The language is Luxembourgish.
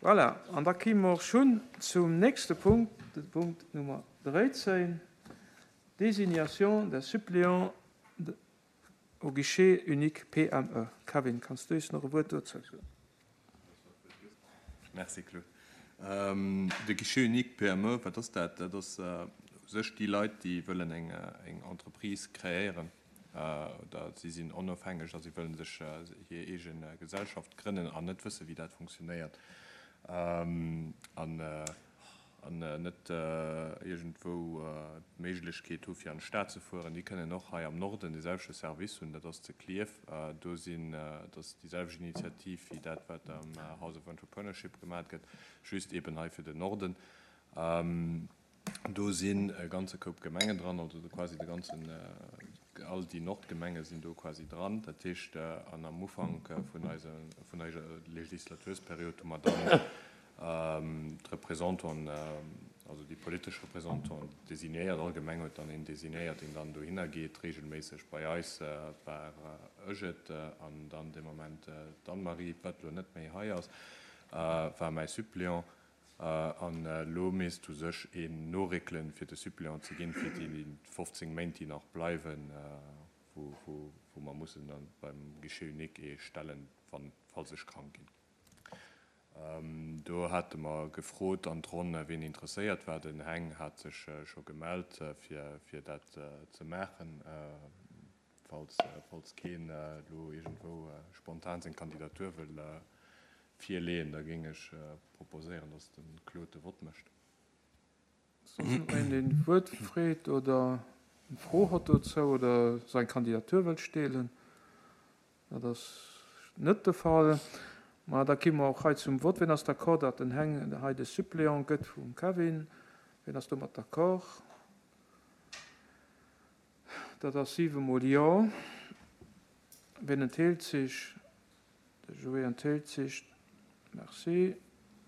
Voilà, an da kime mer och schonn zum nächste Punkt, de Punkt Nummer 13, Désignation des suppléants au guichet unique PME. Kevin, kanns du eis nach e Wuert dozou soen? Merci, Claude. De Guichet unique PME, wat ass dat? Dat ass u sech déi Leit, déi wëllen eng Entreprise kreéieren oder si sinn onofhängeg a si wëllen sech hir eege Gesellschaft grënnen an net wëssen, wéi dat funktionéiert an an net iergendwou d'Méiglechkeet hu fir an d'Stad ze fueren, déi kënnen och hei am Norden dee selwechte Service hunn, dat ass zu Klierf. Do sinn, dat ass déi selwecht Initiativ wéi dat wat am House of Entrepreneurship gemat gëtt, just eeben hei fir den Norden. Do sinn e ganze Koup Gemengen dran, also quasi de ganzen, all déi Nordgemenge sinn do quasi dran. Dat heescht, an am Ufank vun eise, vun eiser Legislatursperiod hu mer dann d'Représentanten, also déi politesch Représentanten designéiert. All Gemeng huet dann een designéiert, deen dann dohinner geet regelméisseg. Bei eis war ech et an dann dee Moment d'Anne-Marie, wat elo net méi hei ass, war mäi Suppléant. An elo misst u sech een noréckelen, fir de Suppléant ze ginn, fir déi 15 Méint, déi nach bleiwen, wou mer mussen da beim Guichet unique ee stellen, wann, falls ech krank ginn. Do hate mer gefrot an d'Ronn, wien interesséiert war. Den Heng hat sech scho gemellt, fir dat ze maachen. Falls keen elo iergendwou spontan seng Kandidatur wëll virleeën, da géing ech proposéieren, datt de Claude de Vott mécht. Soss nach een, deen d'Wuert freet oder eng Fro hott dozou oder seng Kandidatur wëllt steelen? Dat ass net de Fall. Ma da gi mer och hei zum Vott. Wien ass d'accord, datt den Heng hei de Suppléant gëtt vum Kevin? Wien ass domat d'accord? Dat ass siwemol Jo. Wien entheelt sech? De Joé entheelt sech. Merci.